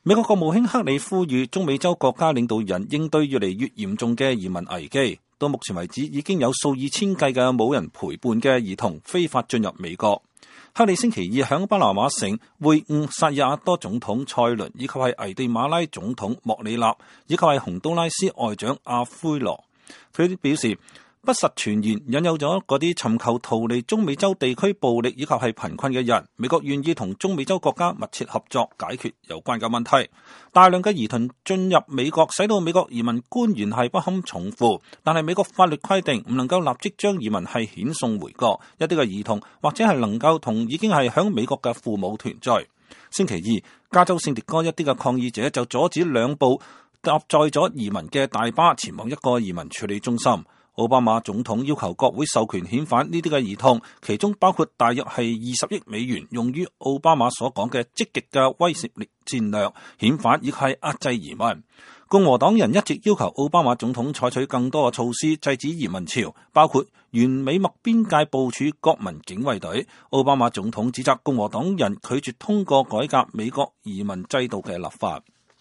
美國國務卿克里呼籲中美洲國家領導人應對越嚟越嚴重嘅移民危機。到目前為止，已經有數以千計嘅冇人陪伴嘅兒童非法進入美國。克里星期二響巴拿馬城會晤薩爾瓦多總統塞倫，以及係危地馬拉總統莫里納，以及係洪都拉斯外長阿奎羅。佢表示，不實傳言引誘咗嗰啲尋求逃離中美洲地區暴力以及係貧困嘅人。美國願意同中美洲國家密切合作，解決有關嘅問題。大量嘅兒童進入美國，使到美國移民官員係不堪重負。但係美國法律規定唔能夠立即將移民係遣送回國。一啲嘅兒童或者係能夠同已經係響美國嘅父母團聚。星期二，加州聖迭戈一啲嘅抗議者就阻止兩部搭載咗移民嘅大巴前往一個移民處理中心。奧巴馬總統要求國會授權遣返呢啲嘅兒童，其中包括大約係20億美元用於奧巴馬所講嘅積極嘅威懾力戰略遣返，以及係壓制移民。共和黨人一直要求奧巴馬總統採取更多嘅措施制止移民潮，包括沿美墨邊界部署國民警衛隊。奧巴馬總統指責共和黨人拒絕通過改革美國移民制度嘅立法。